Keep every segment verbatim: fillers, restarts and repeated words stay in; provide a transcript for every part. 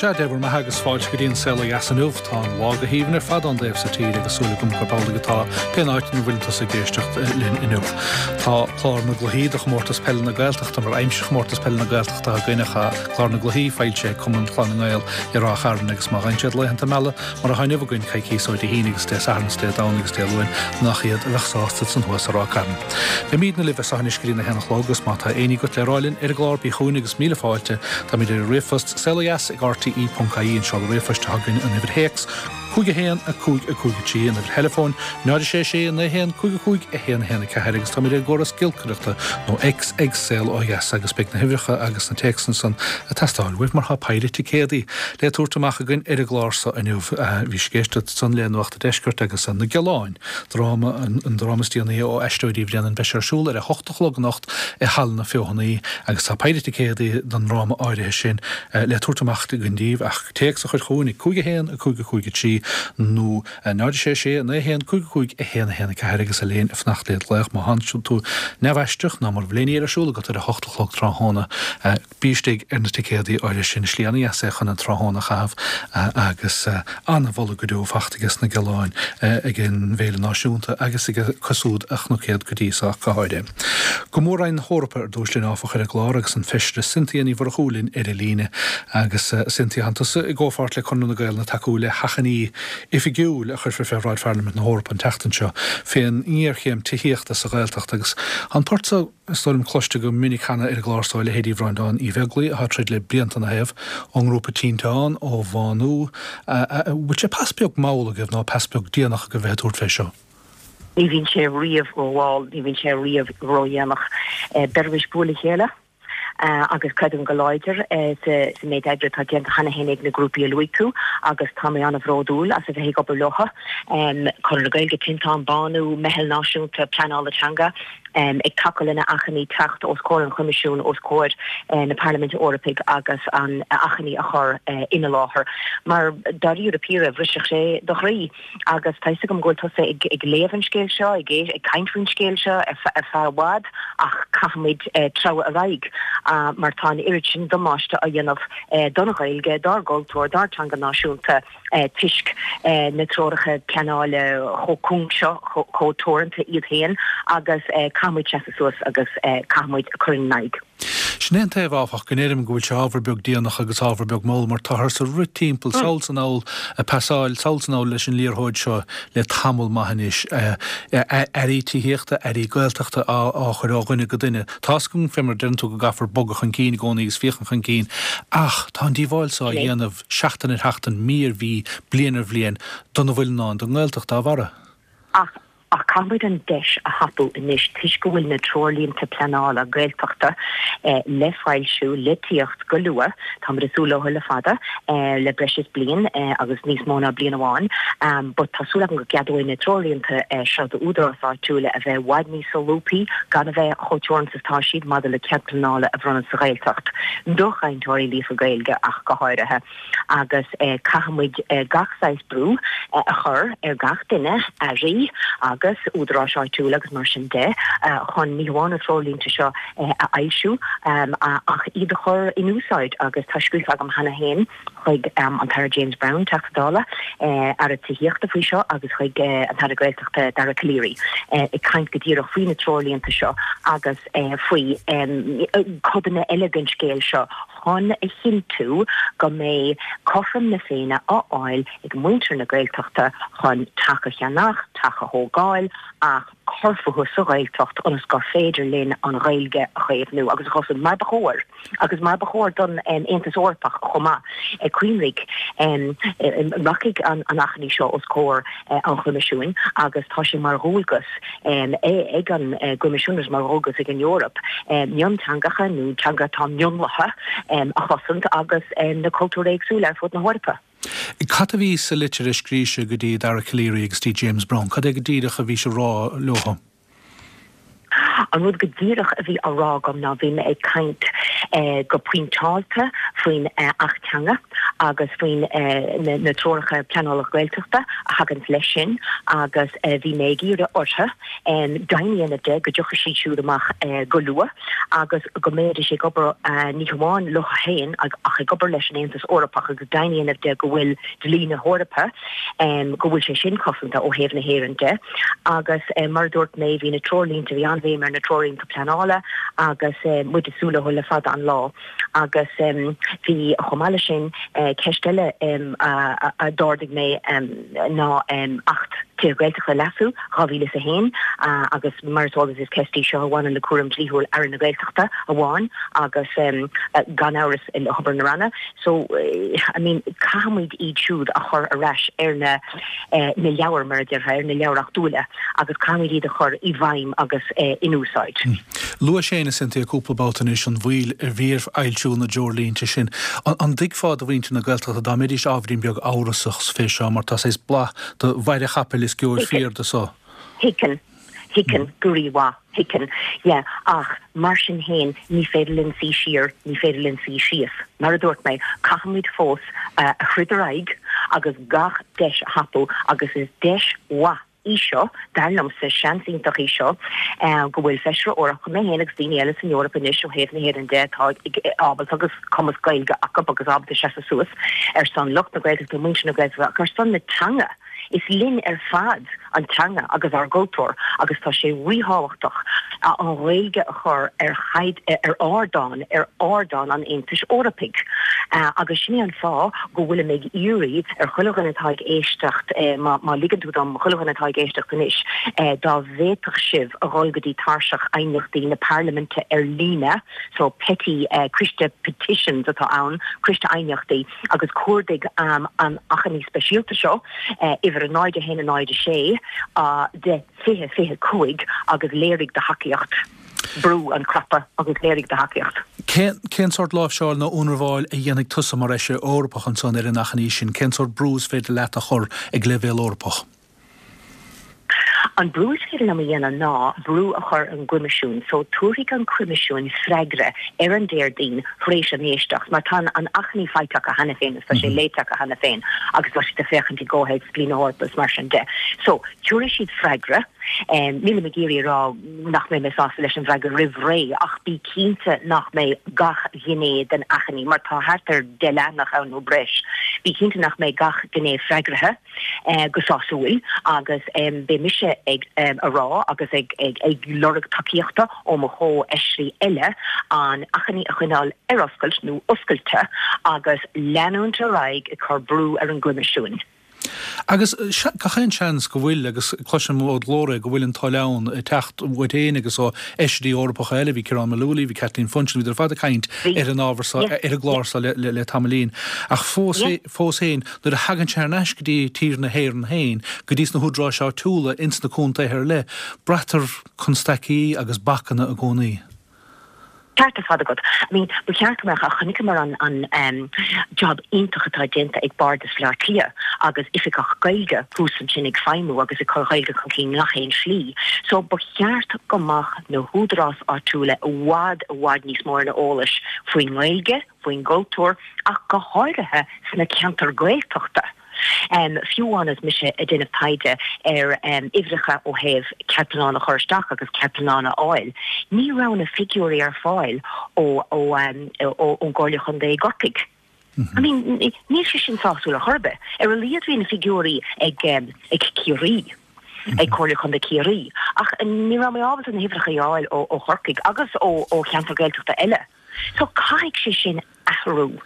Sea, Dé bhur mbeatha agus fáilte go dtí an Saol Ó Dheas inniu. Tá an lá go haoibhinn ar fad ón dtaobh so tíre agus súil agam gurb amhlaidh atá pén áit ina bhfuil tusa ag éisteacht linn inniu. Tá clár na gcluichí do chomórtas peile na Gaeltachta mar aimsir chomórtas peile na Gaeltachta againn ach clár na gcluichí foilsithe ag Cumann Chlann na nGael i Ráth Chairn agus má gheibheann siad laethanta meala mar atá inniu againn coicíos ó Dé hAoine agus Dé Sathairn is Dé Domhnaigh agus Dé Luain nach iad a bheadh sásta san thuas i Ráth Cairn. Beimidne libh as anois go dtí a haon a chlog agus má tá aon ní agat le rá linn ar an gclár bí chugainn agus míle fáilte. Táimid ar ríomhphost saolodheas ag R T E ponc I E an seoladh ríomhphoist atá againn, an uimhir théacs cúig a haon a cúig a cúig a trí, an uimhir theileafóin náid sé sé naoi haon cúig a cúig a haon a haon a ceathair agus táimid ar gcóras giolcaireachta nó X ag Saol Ó Dheas agus beidh na huimhreacha agus na téacsanna san ag teastáil uaibh mar tá péire ticéadaí le tabhairt amach againn ar an gclár so inniu. Bhí sibh ag éisteacht san le Nuacht an Deiscirt agus Na Gealáin, dráma an dráma is déanaí ó Aisteoirí Bhréanainn. Beidh sé ar siúl ar a hocht a chlog anocht i Halla na Feothanaí agus tá péire ticéadaí don dráma áirithe sin le tabhairt amach againn daoibh ach téacs a chur chugainn ag cúig a haon a cúig a cúig a trí nó náid sé sé naoi haon cúig cúig a haon a haon a ceathair agus a léin a fanacht le glaoch má tánn tú neamhaisteach ná mura bhfuil aon ní ar siúl agat ar a hocht a chlog tráthnóna, bí istigh ar na ticéadaí áirithe sin. Slí an-dheas é chun an tráthnóna a chaitheamh agus an-mholadh go deo fachta aige sna Gealáin ag an bhFéile Náisiúnta agus ag cosúd a chnocéad go dtí seo go háirithe. Go Mór-Roinn na hEorpa ar dtús linn áfach ar an gclár agus an feisire Cynthia Ní Mhurchú linn ar an líne agus Cynthia, tánn tusa i gcomhpháirt le Conradh na Gaeilge ag tacú le hachainí oifigiúil a chuirfear fé bhráid Pharlaimint na hEorpa an tseachtain seo fén ngéarchéim tithíochta sa Ghaeltacht agus an port so is dóigh liom cloiste go minic cheana ar an gclár so leithéidí Bhreandáin Uí Bheaglaoich atá troid le blianta ina thaobh ón ngrúpa Tinteán ó Bhánú. Bhfuil sé pas beag mall agaibh nó pas beag déanach agaibh bheith ag tabhairt fé seo? Ní bhíonn sé riamh rómhall, ní bhíonn sé riamh ródhéanach. Beirimis bualadh le chéile agus creidim go láidir sa méid oibre atá déanta cheana féin ag na grúpaí a luaigh tú agus tá mé an-bhródúil as a bheith ag obair leo. Conradh na Gaeilge, Tinteán, Bánú, Meitheal Náisiúnta Pleanála Teanga, um, ag tacú lena achainí teacht os comhair an Choimisiúin, os comhair uh, na Parlaiminte Eorpaí agus an achainí a chur uh, ina láthair. Mar dáiríre píre bhrisfeadh sé do chroí agus tá gom ggóil tusa ag, ag léamh an scéil seo ag, ag caint faoin scéil seo ar feadh i bhfad ach caithfimid uh, treabhadh ar aghaidh uh, mar tá an oiread sin damáiste á dhéanamh uh, don Ghaeilge, dár gcultúr, dár teanga náisiúnta uh, toisc uh, na treoracha pleanála chomh cúng seo, chomh teoranta iad féin agus uh, caithfimid seasamh suas agus uh, caithfimid cur in aghaidh. Sin é an taobh áfach go ndeirim go bhfuil sé ábhar beag déanach agus ábhar beag mall mar táthar sa rith timpeall sall is anall a pasáil sall is anall leis an liathróid seo le tamall maith anois, airí tithíochta, airí Gaeltachta á chur ó dhuine go duine. Tá go fé mar deireann tú go gcaithfear bogadh chun cinn i gcónaí agus féachaint chun cinn ach tá an díobháil so á dhéanamh seachtain ar sheachtain, mí ar mhí, bliain ar bhliain dona bhfuil ná don nGaeltacht dá bharra. Ach ach caithfimid an deis a thapú anois toisc go bhfuil na treoirlínte pleanála Gaeltachta eh, le foilsiú le tíocht go luath. Tá súil leo le fada eh, le breis is bliain eh, agus níos mó ná bliain amháin, um, but tá súil agam go gceadóidh na treoirlínte eh, seo d'údaráis áitiúla a bheith i bhfad níos solúbtha, gan a bheith chomh teoranta tá siad maidir le cead pleanála a bhronnadh sa Ghaeltacht do chainteoirí líofa Gaeilge ach go háirithe agus eh, caithfimid eh, gach saghas brú eh, a chur ar gach duine, airí agus údaráis áitiúla agus mar sin de, uh, chun ní hamháin na treoirlínte seo uh, a fhoilsiú um, ach iad a chur in úsáid agus tá scríofa agam cheana féin chuig um, an tAire James Browne, Teachta Dála, uh, Aire Tithíochta faoi seo agus chuig uh, an tAire Gaeltachta Dara Calleary uh, ag caint go díreach faoi na treoirlínte seo agus uh, faoi um, codanna eile den scéal seo chun a chinntiú go mbeidh cothrom na Féinne á fháil ag muintir na Gaeltachta chun teach a cheannach, teach a thógáil ach cur fúthu sa Ghaeltacht ionas gur féidir linn an Ghaeilge a chaomhnú agus a chosaint mar ba chóir agus mar ba chóir don um, Aontas Eorpach chomh maith. Cuimhnigh um, rachaidh an an achainí seo os comhair uh, an Choimisiúin agus tá sé mar dhualgas um, ag an uh, gCoimisiún agus mar dhualgas ag an Eoraip um, mionteangacha nó teanga atá mionlaithe um, a chosaint agus um, na cultúir éagsúla ar fud na hEorpa. Cad a bhí sa litir a scríobh sibh go dtí Dara Calleary agus dtí James Browne, Cad é go díreach a bhí sé rá leo? An rud go díreach a bhí á rá agam ná bhí mé ag caint eh, go pointeáilte faoin eh, Acht Teanga agus faoin na treoracha pleanála Gaeltachta a thagann leis sin agus bhí mé ag iarraidh orthu deimhin a dhéanamh de go dtiocfaidh siad siúd amach go luath agus go mbeidís ag obair ní hamháin leo féin ach ag obair leis an Aontas Eorpach agus deimhin a dhéanamh de go bhfuil dlí na hEorpa go bhfuil sé sin cosanta ó thaobh na hÉireann de agus mar a dúirt mé bhí na treoirlínte bhí an-bhéim ar na treoirlínte pleanála agus muid ag súil leo le fada an lá agus bhí chomh maith leis sin ceist eile a d'ardaigh mé ná Acht Tithe Gaeltachta Leasú dhá mhíle is a haon agus mar is eol duit is ceist í seo a bhaineann le cúram dlíthiúil Aire na Gaeltachta amháin agus gan amhras le hobair na Ranna. So I mean caithfimid iad siúd a chur ar ais ar na na leabhair mar a déarfá ar na leabhair reachtúla agus caithfimid iad a chur i bhfeidhm agus in úsáid. Luaigh Shane a Cynthia cúpla babhta anois an mhoill a bhí ar fhoilsiú na dtreoirlínte sin. An dtuigfeá do mhuintir na Gaeltachta dá mbeidís ábhairín beag amhrasach fé seo mar tá saghas blas de mhaide chapaill is gheobhair fíor de so? Thuigfinn. Thuigfinn go rímhaith. Thuigfinn. Yeah. Ach mar sin féin ní féidir linn suí siar, ní féidir linn suí síos. Mar a dúirt mé, caithfimid fós a throid ar aghaidh agus gach deis a thapú agus is deis mhaith í seo, dar liomsa, seans iontach í seo, go bhfuil Feisire Eorpach, mé féin agus daoine eile san Eoraip anois ó thaobh na hÉireann de atá ábalta agus cumas Gaeilge acu agus ábalta seasamh suas ar son lucht na Gaeltachta, muintir na Gaeltachta ach ar son na teanga. Is linn ar fad an teanga agus ár gcultúr agus tá sé ríthábhachtach an Ghaeilge a chur ar ar ardán, ar ardán an Aontais Eorpaigh. Agus sin é an fáth go bhfuilim ag iarraidh ar chuile dhuine atá ag éisteacht, má ligeann tú dom, chuile dhuine atá ag éisteacht anois, dá bhféadfadh sibh a dhul go dtí tairseach aighneachtaí na Parlaiminte ar líne, so PETI, Coiste Petitions atá ann, Coiste Aighneachtaí, agus cuardaigh an achainí speisialta seo, uimhir a náid a haon a náid a sé de fiche fiche cúig agus léirigh do thacaíocht. Brú an cnaipe agus léirigh do thacaíocht. Cén sórt láimhseáil nó ionramháil a dhéanfaidh tusa mar Fheisire Eorpach ansan ar an achainí sin? Cén sórt brú is féidir leat a chur ag leibhéal Eorpach? An brú is féidir liom a dhéanamh ná brú a chur ar an gCoimisiún. So tabharfaidh an Coimisiún freagra ar an Déardaoin tar éis an éisteacht, mar tá an achainí faighte acu cheana féin agus tá sé léite acu cheana féin agus tá siad ag féachaint i gcomhthéacs dlí na hEorpa is mar sin de. So tabharfaidh siad freagra. Nílim ag iarraidh a rá nach mbeidh mé sásta leis an bhfreagra roimh ré ach bí cinnte nach mbeidh gach gné den achainí, mar tá thart ar deich leathanach ann nó breis, bí cinnte nach mbeidh gach gné freagraithe go sásúil agus beidh mise ag a rá agus ag ag lorg tacaíochta ó mo chomhfheisirí eile an achainí a choinneáil ar oscailt nó oscailte agus leanúint ar aghaidh ag cur brú ar an gCoimisiún. Agus gach aon seans go bhfuil, agus cloisim ó do ghlór é, go bhfuil an toil ann ag teacht uait féin agus ó fheisirí Eorpacha eile, bhí Ciarán Mullooly, bhí Kathleen Funchion, bhíodar ar fad ag caint ar an ábhar seo, ar an gclár seo le tamaillín. Ach fós féin, nuair a thagann sé thar n-ais go dtí tír na hÉireann féin, go dtí sna húdaráis áitiúla ins na contaetha ar leith, braitear constaicí agus bacanna i gcónaí. Ceart ar fad agat. I mean, ba cheart go mbeadh, ach chonaiceamar an an em job iontach atá déanta ag Bardas Bhaile Átha Cliath agus oifigeach Gaeilge thuas ansin ag feidhmiú agus ag cur Gaeilge chun cinn ngach aon slí. So ba cheart go mbeadh na húdaráis áitiúla i bhfad i bhfad níos mó ar an eolas faoin nGaeilge, faoin gcultúr ach go háirithe sna ceantair Gaeltachta. Fiú amháin is mise ag déanamh taighde ar uimhreacha ó thaobh cead pleanála a chur isteach agus cead pleanála a fháil, ní raibh na figiúirí ar fáil ó ón gComhairle Chontae i gCorcaigh. I mean, níl sé sin sásúil ar chor ar bith. Ar a laghad bhí na figiúirí ag ag Ciarraí, ag Comhairle Chontae Chiarraí, ach ní raibh mé ábalta na huimhreacha a fháil ó Chorcaigh agus ó cheantar Gaeltachta eile. So caithfidh sé sin athrú.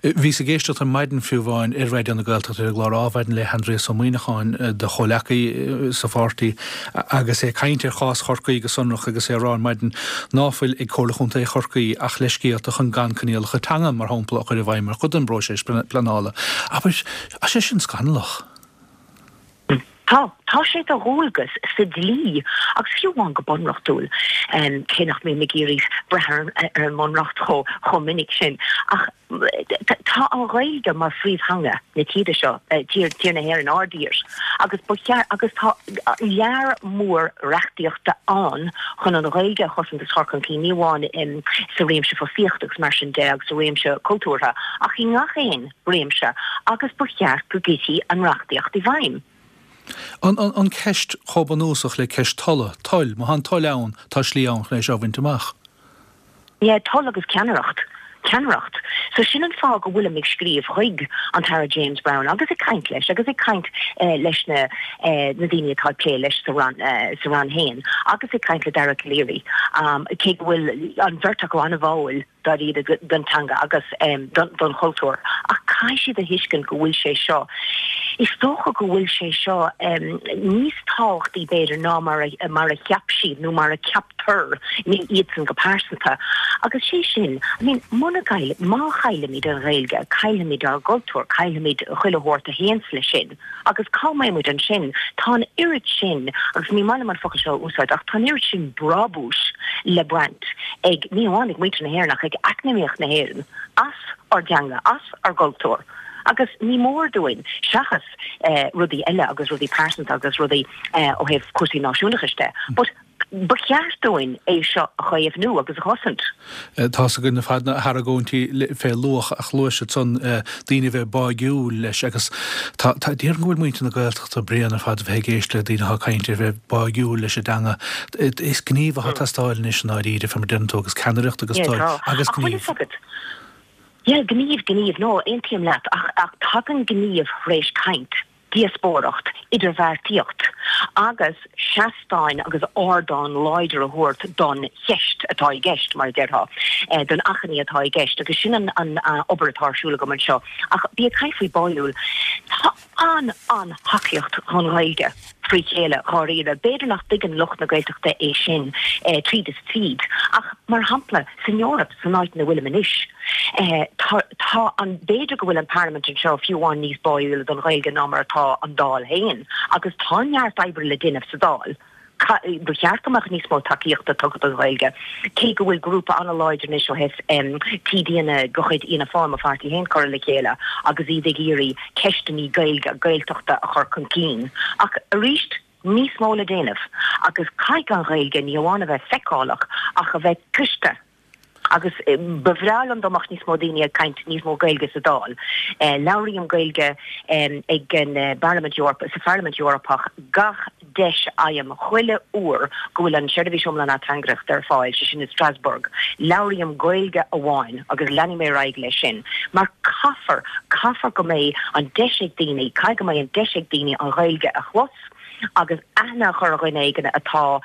Bhíos ag éisteacht ar maidin fiú amháin ar Raidió na Gaeltachta ar an gclár Adhmhaidin le hAindrias Ó Muimhneacháin, do chomhleacaí sa pháirtí, agus é ag caint ar chás Chorcaí go sonrach agus é ag rá ar maidin ná fuil ag Comhairle Chontae Chorcaí ach leithscéalta chun gan coinníollacha teanga, mar shampla, a chur i bhfeidhm mar chuid den bpróiseas pleanála. Abair, tá sé sin scannalach. Tá, tá sé de dhualgas sa dlí agus fiú amháin go bunreachtúil, cé nach mbím ag iarraidh breith ar an mbunreacht chomh minic sin, ach tá an Ghaeilge mar phríomhtheanga na tíre seo, tír, tír na hÉireann, ár dtír, agus ba cheart, agus tá lear mór reachtaíochta ann chun an Ghaeilge a chosaint agus a chur chun cinn, ní amháin sa réimse fostaíochta agus mar sin de agus sa réimse cultúrtha, ach i ngach aon réimse, agus ba cheart go gcuirfí an reachtaíocht i bhfeidhm. An, an, an ceist chomh bunúsach le ceist tola, toil, má tá an toil ann, tá slí ann chun é seo a bhaint amach. Yeah, toil agus ceannaireacht. Ceannaireacht. So sin an fáth go bhfuilim ag scríobh chuig an tAire James Browne agus ag caint leis agus ag caint leis na na daoine atá ag plé leis sa Roinn sa Roinn féin agus ag caint le Dara Calleary cé go bhfuil an bheirt acu an-bháúil dáiríre don teanga agus don chultúr ach caithfidh siad a thuiscint go bhfuil sé seo is dócha go bhfuil sé seo níos tábhachtaí b'fhéidir ná mar a mar a cheap siad nó mar a ceaptar, ní iadsan go pearsanta. Agus sé sin, I mean, muna gcaill, má chaillimid an Ghaeilge, caillfimid ár gcultúr, caillfimid chuile shórt a théanns leis sin. Agus cá mbeidh muid ansin? Tá an oiread sin, agus ní maith liom an focal seo a úsáid, ach tá an oiread sin brabúis le baint ag, ní hamháin ag muintir na hÉireann ach ag eacnamaíocht na hÉireann, as ár dteanga, as ár gcultúr. Agus ní mór dúinn, seachas rudaí eile agus rudaí pearsanta agus rudaí ó thaobh cúrsaí náisiúnachais de, but ba cheart dúinn é seo a chaomhnú agus a chosaint. Tá's againn ar fad na hargóintí fé luach ach luaigh siad san daoine a bheith báúil leis agus tá tá déarfainn go bhfuil muintir na Gaeltachta bréan ar fad a bheith ag éist le daoine atá ag caint ar bheith báúil leis an dteanga. Is gníomh atá ag teastáil anois i ndáiríre fé mar deireann tú agus ceannaireacht agus toil agus gníomh. Yeah, gníomh, gníomh, no, aontaím leat ach ach tagann gníomh tar éis caint. díospóireacht, idirbheartaíocht agus seastáin agus ardán láidir a thabhairt don cheist atá i gceist, mar a déarfá, don achainí atá i gceist agus sin an an obair atá ar siúl agam anseo. Ach bí ag caint faoi báúil, tá an an-thacaíocht don Ghaeilge frí chéile, dháiríre. B'fhéidir nach dtuigeann lucht na Gaeltachta é sin tríd is tríd ach, mar shampla, san Eoraip, san áit ina bhfuilim anois, Tá, tá an, b'fhéidir go bhfuil an Parlaimint anseo fiú amháin níos báúla don Ghaeilge ná mar atá an Dáil féin agus tá neart oibre le déanamh sa Dáil. Ba cheart go mbeadh níos mó tacaíochta tugtha don Ghaeilge, cé go bhfuil grúpa an-láidir anois ó thaobh TDanna de chuid Fhianna Fáil, mo pháirtí féin, curtha le chéile agus iad ag iarraidh ceisteanna Gaeilge, Gaeltachta a chur chun cinn. Ach arís, níos mó le déanamh agus caithfidh an Ghaeilge ní amháin a bheith feiceálach ach a bheith cloiste. Agus ba bhreá liom dá mbeadh níos mó daoine ag caint níos mó Gaeilge sa Dáil. Labhraím Gaeilge ag an bParlaimint Eorpach, sa Pharlaimint Eorpach gach deis a fhaighim, chuile uair go bhfuil an tseirbhís iomlán ateangaireachta ar fáil, sé sin i Strasbourg. Labhraím Gaeilge amháin agus leanfaidh mé ar aghaidh leis sin. Mar caithfear, caithfear go mbeidh an deis ag daoine, caithfidh go mbeidh an deis ag daoine an Ghaeilge a chlos. agus aithne a chur ar dhuine éigin atá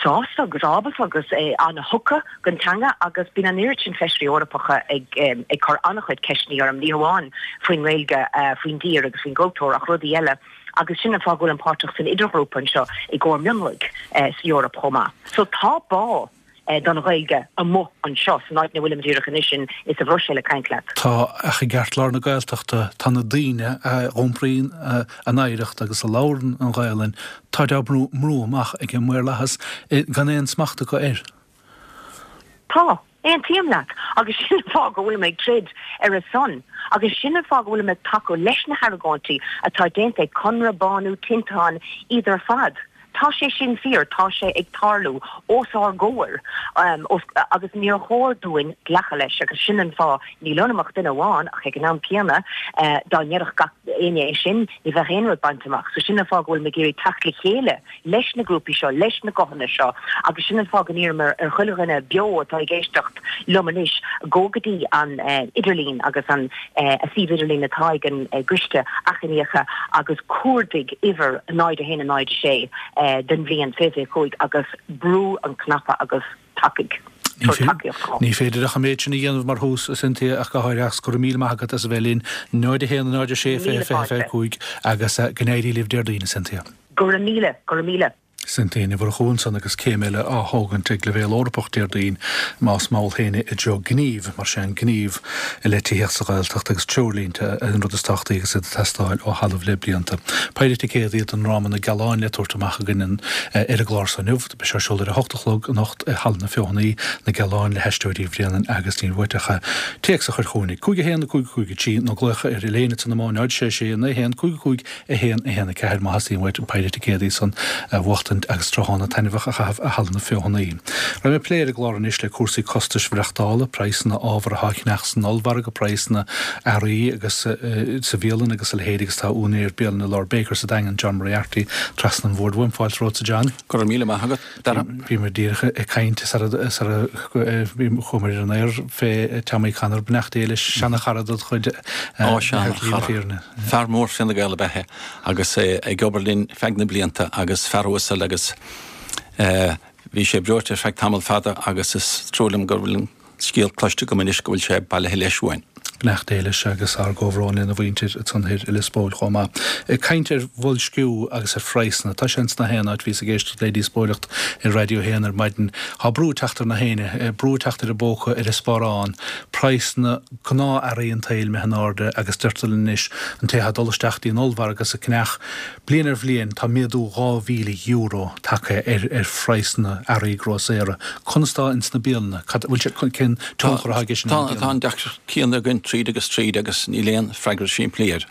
sásta agus ábalta agus an-thugtha don teanga agus bíonn an oiread sin feisirí Eorpacha ag ag cur an-chuid ceisteanna orm, ní hamháin faoin nGaeilge, faoin dtír agus faoin gcultúr ach rudaí eile agus sin an fáth go bhfuilim páirteach san idirghrúpa anseo i gcomhair mionlaigh sa Eoraip chomh maith. So tá bá. don Ghaeilge amuigh anseo san áit ina bhfuilim díreach anois in sa Bhruiséil ag caint leat. Tá, ach i gceartlár na Gaeltachta tá na daoine a iompraíonn a n-oidhreacht agus a labhrann an Ghaelainn, táid á mbrú amach ag an maorlathas gan aon smacht acu air. Tá, aontaím leat agus sin an fáth go bhfuilim ag troid ar a son agus sin an fáth go bhfuilim ag tacú leis na hargóintí atá déanta ag Conradh, Bánú, Tinteán, iad ar fad. Tá sé sin fíor, tá sé ag tarlú os ár gcomhair agus níor chóir dúinn glacadh leis agus sin an fáth, níl ionam ach duine amháin ach ag an am céanna dá ndéarfadh gach éinne é sin ní bheadh aon rud bainte amach. So sin an fáth go bhfuilim ag iarraidh teacht le chéile leis na grúpaí seo, leis na guthanna seo agus sin an fáth go n-iarraim ar chuile dhuine beo atá ag éisteacht liom anois gabh go dtí an idirlíon agus an suíomh idirlín atá ag an gCoiste Achainíocha agus cuardaigh uimhir náid a haon a náid a sé den bhliain fiche fiche cúig agus brú an cnaipe agus tacaigh. Tabhair tacaíocht dhó. Ní féidir ach an méid sin a dhéanamh mar thús, a Cynthia, ach go háirithe agus go raibh míle maith agat as a bheith linn. náid a haon a náid a sé fiche fiche fiche cúig agus go n-éirí libh Déardaoin, a Cynthia. Go raibh míle, go raibh míle. Sin Uí Mhurchú ansan agus céim eile á thógaint ag leibhéal Eorpach Déardaoin, más mall féin i dtreo gnímh, mar sin gníomh i leith tithíocht sa Ghaeltacht agus treoirlínte an rud is tábhachtaí agus iad ag teastáil ó thalamh le blianta. Péire ticéadaí don ndráma Na Gealáin le tabhairt amach againn ar an gclár so inniu. Beidh sé ar siúl ar a hocht a chlog anocht i Halla na Feothanaí, Na Gealáin le hAisteoirí Bhréanainn agus Ní Bhuait ach téacs a chur chugainn ag cúig a haon a cúig a cúig a trí nó glaoch ar Elaine ansan ar náid sé sé naoi haon cúig a cúig a haon a haon a ceathair má theastaíonn uait an péire ticéadaí san a bhuachtaint agus tráthnóna taitneamhach a chaitheamh i Halla na Feothanaí. Beidh mé ag plé ar an gclár anois le cúrsaí costais mhaireachtála, praghsanna ábhar atá á cheannach san ollmhargadh, praghsanna earraí agus sa bhialann agus a leithéid agus tá úinéir bialainne Lord Baker sa Daingean, John Moriarty, trasna an bhoird uaim. Fáilte romhatsa John. Go raibh míle maith agat, Dara. Bhíomar díreach ag caint sara chuamar ar an aer fé Tommy Connor, beannacht Dé leis, seana-chara dod chuid. Ó seana-chara. Fear mór Fine Gael ab ea é agus é ag obair linn feadh na blianta agus fear uasal agus bhí sé breoite ar feadh tamall fada agus is trua liom go bhfuil an scéal cloiste agam anois go bhfuil sé bailithe leis uainn. Beannacht Dé leis agus ár gcomhbhrón lena mhuintir ansan thoir i Lios Póil chomh maith. Ag caint ar bhoilsciú agus ar phraghsanna, tá sé ins na haon áit, bhíos ag éisteacht le díospóireacht ar Raidió a haon ar maidin, tá brú ag teacht ar na héinne, brú ag teacht ar an bpóca, ar an sparán, praghsanna gnáth-earraí an tsaoil imithe in airde agus deirtear linn anois an té atá ag dul isteach dtí an ollmhargadh is ag ceannach bliain ar bhliain tá méadú dhá mhíle euro tagtha ar ar phraghsanna earraí grósaera. Conas tá ins na bialanna? Cad, bhfuil sé, cén tionchar atá aige sin ar na Tá bialanna? an deacracht céanna againn tríd agus tríd agus níl aon freagra simplí air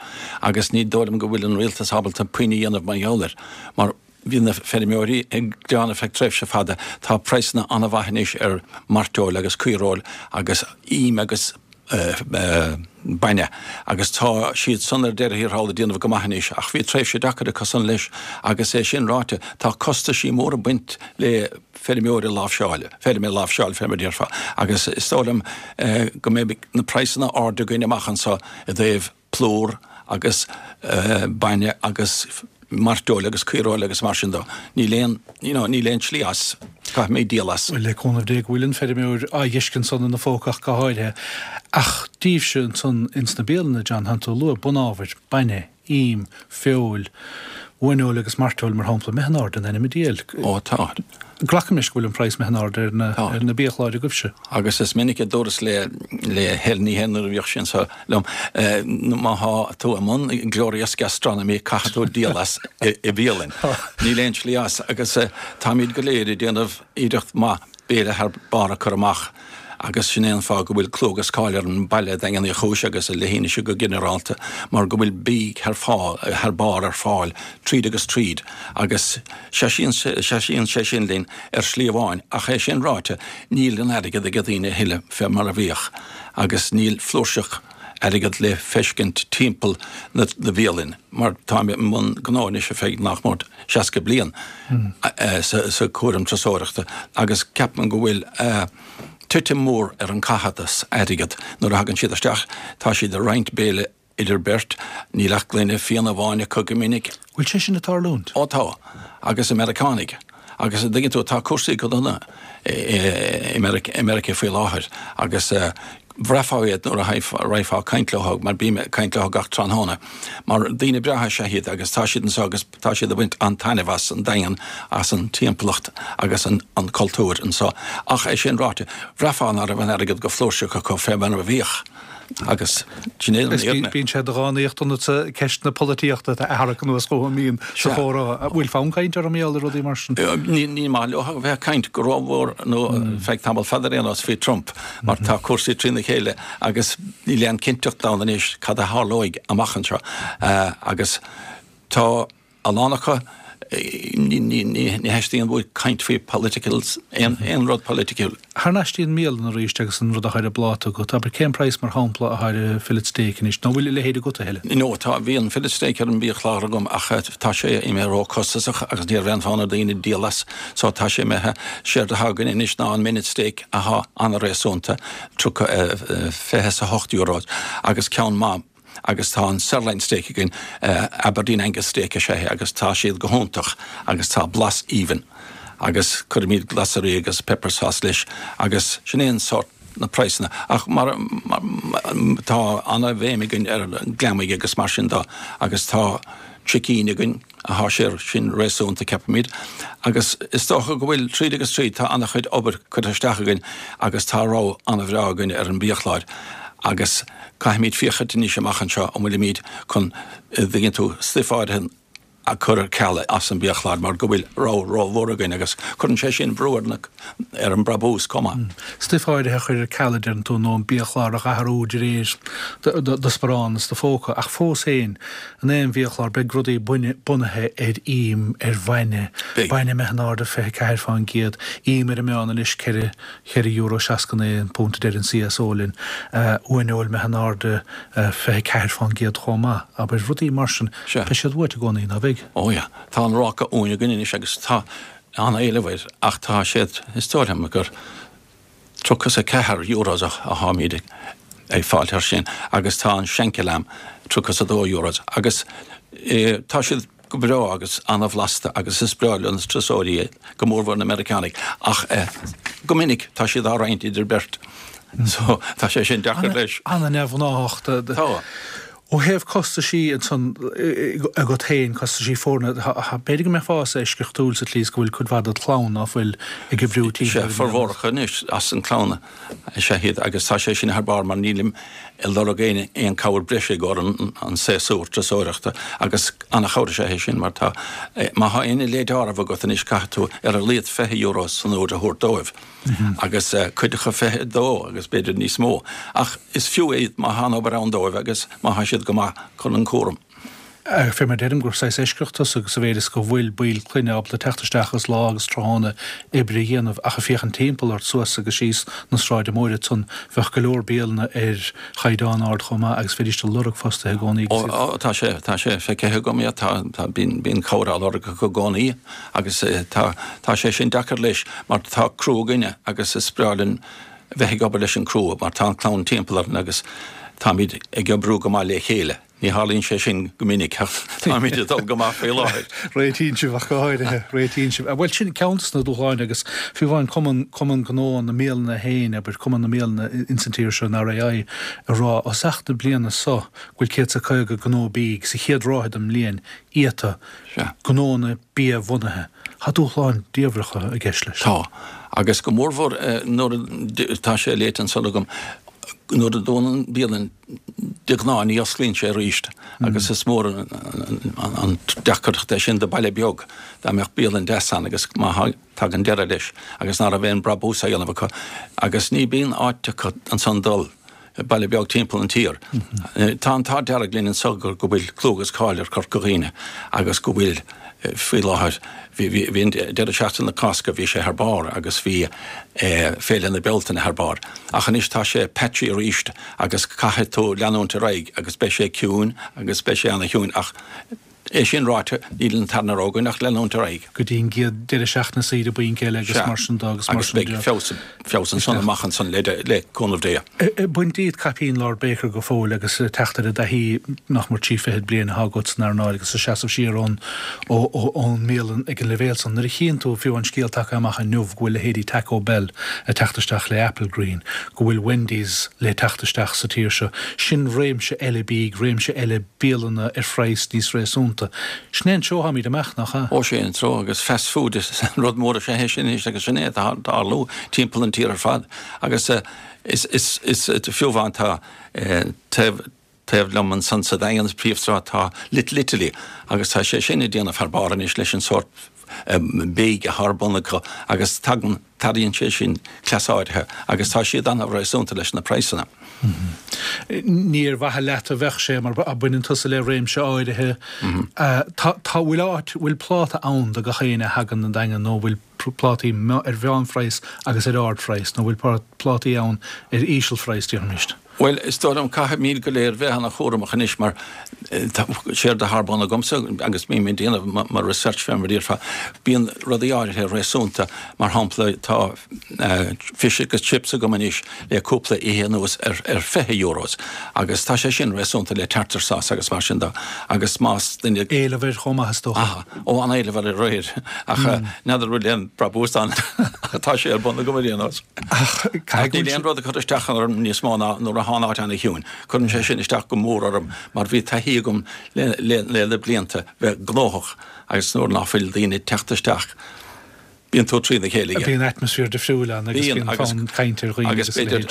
agus ní dóigh liom go bhfuil an rialtas ábalta puinn a dhéanamh mar gheall air mar bhí na feirmeoirí ag gearán ar feadh tréimhse fada. Tá praghsanna an-mhaith anois ar mhairteoil agus caoireoil agus im agus bainne agus tá siad san ar deireadh thiar thall ag déanamh go maith anois ach bhí tréimhse deacair acu san leis agus é sin ráite tá costaisí móra ag baint le feirmeoir a láimhseáil, feirm a láimhseáil, feirm a déarfá agus is dóigh liom go mbeidh na praghsanna ard againn amach anseo i dtaobh plúr agus bainne agus mairteoil agus caoireoil agus mar sin dó. Níl aon, you know, níl aon tslí as. Caithfimid díol as. Bhuel, le cúnamh Dé go bhfuil an feirmeoir á dh'fheiscint ansan ina phóca ach go háirithe. Ach daoibhse ansan ins na bialanna, John, tánn tú ag lua bunábhair, bainne, im, feoil, uaineoil agus mairteoil, mar shampla, imithe in airde in ainm an diabhail. Ó, tá. Glacaim leis go bhfuil an praghas imithe in airde ar na, Tá. ar na biachláir agaibhse. Agus is minic a dúras le, le Helen Ní Shéaghdha nuair a bhíodh sí anso liom, má thá tú i mbun glorious gastronomy caithfidh tú díol as i, i bhialann. Níl aon tslí as agus táimid go léir ag déanamh iarracht maith béile thar barr a chur amach agus sin é an fáth go bhfuil clú agus cáil ar an baile Daingean Uí Chúis agus ar leithinis go ginearálta mar go bhfuil bídh thar fáil, thar barr ar fáil tríd agus tríd agus seasíonn seasíonn sé sin linn ar shlí amháin ach é sin ráite níl an airgead ag daoine a thuilleadh fé mar a bhíodh agus níl flúirseach airgead le feiscint timpeall na na bhialann mar táim i mbun gnó anois ar feadh nach mór seasca bliain sa sa cúram turasóireachta agus ceapaim go bhfuil titim mór ar an caitheamh airgead nuair a thagann siad isteach tá siad ag roinnt béile idir beirt, níl ach gloine fíona amháin acu go minic. Bhfuil sé sin ag tarlúint? Ó tá, agus i Meiriceánaigh. Agus an dtuigeann tú, tá cúrsaí go dona i Meiriceá faoi láthair agus bhraithfeá iad nuair a raghfá ag caint leo, mar bím ag caint leo gach tráthnóna, mar daoine breátha is ea iad agus tá siad anseo agus tá siad ag baint an-taitneamh as an Daingean, as an timpeallacht agus an cultúr anseo. Ach é sin ráite, bhraithfeá ná raibh an airgead go flúirseach acu fé mar a bhíodh. Agus sin é an fhírinne. Bíonn sé de dhánaíocht ionatsa ceist na polaitíochta a tharrac anuas chugam an mbíonn sa chomhrá. An bhfuil fonn cainte orm mar gheall ar rudaí mar sin? Ní maith leo a bheith ag caint go rómhór nó feadh tamall fada ar aon nós faoi Trump mar tá cúrsaí trína chéile agus níl aon cinnteacht ann anois cad a tharlóidh amach anseo agus tá a lán acu, ní theastaíonn uaidh caint faoi political, aon rud polaitiúil. Thar n-ais dtí an mbialann arís agus an rud atá ar an bpláta agat, abair, cén praghas mar shampla atá ar an fillet steak anois, nó bhfuil a leithéid agat a thuilleadh? No, tá, bhí an fillet steak ar an mbiachlár agam ach tá sé imithe ró-chostasach agus ní raibh aon fhonn ar daoine díol as, so tá sé imithe. Séard atá againn anois ná an minute steak athá an-réasúnta, tríocha, fiche is a hocht euro agus ceann maith. Agus tá an sirloin steak againn, Aberdeen Angus steak is ea é agus tá siad go hiontach agus tá blas aoibhinn agus cuirimid glasraí agus pepper sauce leis agus sin é an sórt na praghsanna. Ach mar tá ana-bhéim againn ar an gliomaigh agus mar sin dó agus tá sicín againn. Tá sé sin réasúnta ceapaimid, agus is dócha go bhfuil tríd agus tríd tá an-chuid obair curtha isteach againn agus tá rogha an-bhreá againn ar an mbiachlár agus caithfimid féachaint anois amach anseo an bhfuilimid chun, an dtuigeann tú, stuif áirithe a chur ar ceal as an mbiachlár mar go bhfuil rogha rómhór againn agus cuireann sé sin brú ar na, ar an mbrabús chomh maith. Stuif áirithe a chur ar ceal a deireann tú nó an biachlár a athrú de réir do sparán is do phóca ach fós féin in aon bhiachlár beidh rudaí bunaithe ar ím, ar bhainne, bainne imithe in airde fiche ceathair fán gcéad, ím ar an meán anois ceithre, ceithre euro seasca naoi an punt a deir an CSO linn, uaineoil imithe in airde fiche ceathair fán gcéad chomh maith. Abair rudaí mar sin, beidh siad uait i gcónaí, ná beidh? Ó yeah, tá an ráca uain againn anois agus tá an-éileamh air ach tá siad, is dóigh liom gur tríocha is a ceathair euros a tháimid ag fáilt air sin agus tá an schenkel lamb tríocha is a dó euros agus tá siad go breá agus an-bhlasta agus is breá le na turasóirí é, go mórmhór na Meiriceánaigh ach go minic tá siad á roinnt idir beirt so tá sé sin deacair leis. Ana-neamhghnáthach. Tá. Ó thaobh costaisí ansan agat féin, costaisí foirne, b'fhéidir go mbeifeása eisceachtúil sa tslí is go bhfuil cuid mhaith dod chlann ná fuil ag oibriú timpeall ar an. Sea, formhór acu anois as an chlann is ea iad agus tá sé sin thar barr mar nílim ag lorg aon aon cabhair breise i gcomhair an an séasúr turasóireachta agus an-chabhair is ea é sin mar tá má thá aon leid áireamh agat anois caithfidh tú ar a laghad fiche euro san uair a thabhairt dóibh. agus cuid acu fiche a dó agus b'fhéidir níos mó. Ach is fiú é má thá an obair ann dóibh agus má thá siad go maith chun an cúram. Fé mar deirim gur saghas eisceacht tusa sa mhéid is go bhfuil baill clainne ábalta teacht isteach agus lá agus tráthnóna oibre a dhéanamh ach ag féachaint timpeall ort suas agus síos na sráide móire ansan bheadh go leor bialanna ar chaighdeán ard chomh maith agus bheidís ag lorg fostaithe i gcónaí agus iad Ó tá sé, tá sé feicthe agam, yeah, tá, tá, bíonn, bíonn cabhair á lorg acu i gcónaí agus tá, tá sé sin deacair leis mar tá criú againne agus is breá linn bheith ag obair leis an gcriú mar tá an clann timpeall orainn agus táimid ag oibriú go maith le chéile. Ní tharlaíonn sé sin go minic ach táimid ag dul go maith faoi láthair. Réitíonn sibh ach go háirithe, réitíonn sibh. Bhuel, sin ceann de na dúshláin agus fiú amháin Cumann, Cumann Gnó na mBialanna féin, abair, Cumann na mBialanna ins an tír seo, an RAI, ag rá ó thosach na bliana so go bhfuil céad 's a caoga gnó bídh sa chéad ráithe den mbliain iata, gnónna bia-bhunaithe. Tá dúshláin diabhlacha i gceist leis. Tá. Agus go mórmhór nuair a, tá sé léite ansan agam, nuair a dúnann bialann de ghnáth ní osclaíonn sé arís agus is mór an deacracht é sin do baile beag dá mbeadh bialann deas ann agus má tagann deireadh leis agus ná raibh aon brabús á dhéanamh acu agus ní bíonn áit acu ansan dul baile beag timpeall an tír. Tá an t-ádh dearg linn anso go bhfuil clú agus cáil ar Chorca Dhuibhne agus go bhfuil faoi láthair, bhí an deireadh seachtaine na Cásca, bhí sé thar barr agus bhí Féile na Bealtaine thar barr. Ach anois tá sé patchy arís agus caithfidh tú leanúint ar aghaidh agus beidh sé ciúin agus beidh sé ana-chiúin ach É sin ráite, níl an tarna rogha againn ach leanúint ar aghaidh. go dtí an gcéad deireadh seachtaine saoire bainc eile agus mar sin de agus mar Agus sin beidh de. feabhas, feabhas ansan amach ansan le, le cúnamh Dé. Ag baint díot caipín Lord Baker go fóill agus ag teacht ar an dtaithí nach mór trí fichid bliain atá agat san earnáil agus ag seasamh siar ón, ó, ó, ón mbialann ag an leibhéal san. Nuair a chíonn tú, fiú an scéal tagtha amach inniu go bhfuil leithéidí Taco Bell ag teacht isteach le Applegreen, go bhfuil Wendy's le teacht isteach sa tír seo, sin réimse eile bídh, réimse eile bialanna ar phraghas níos réasúnta. Sin é an treo atáimid amach, nach ea? Ó, sé an treo, agus fast food is an rud mór is ea é sin anois agus sin é atá ag tarlú timpeall an tír ar fad. Agus is, is, is fiú amháin tá taobh, taobh liom ansan sa Daingean, sa príomhshráid, tá Little Italy agus tá sé sin ag déanamh thar barr anois leis an sórt bídh atá ar bun acu agus tagann, tarraingíonn sé sin cleas áirithe agus tá siad an-réasúnta leis na praghsanna. Ní ar mhaithe leat a bheadh sé mar baineann tusa le réimse áirithe. Tá, tá, bhfuil áit, bhfuil pláta ann do gach éinne a thagann 'on Daingean nó bhfuil plátaí ar mheánphraghas agus ar ardphraghas nó bhfuil plátaí ann ar ísealphraghas, déarfaimis? Bhuel, is dóigh liom, caithfimid go léir bheith ana-chúramach anois mar séard atá ar bun agamsa agus bím ag déanamh mo research fé mar a déarfá, bíonn rudaí áirithe réasúnta, mar shampla tá fish agus chips agam anois le cúpla oíche anuas ar ar fiche euros agus tá sé sin réasúnta le tartar sauce agus mar sin de agus más duine Éileamh air chomh maith is dócha. Aha, ó an-éileamh air aréir ach n'fheadar an bhfuil aon brabús ann ach tá sé ar bun agam ar aon nós. Ach Ach níl aon rud ag cur isteach orm níos mó ná nuair a thá an áit ana-chiúin. Cuireann sé sin isteach go mór orm mar bhí taithí agam le le le na blianta bheith gnóthach agus nuair ná fuil daoine ag teacht isteach bíonn tú trína chéile. Bíonn atmaisféar difriúil ann agus bíonn fonn cainte ar dhaoine agus b'fhéidir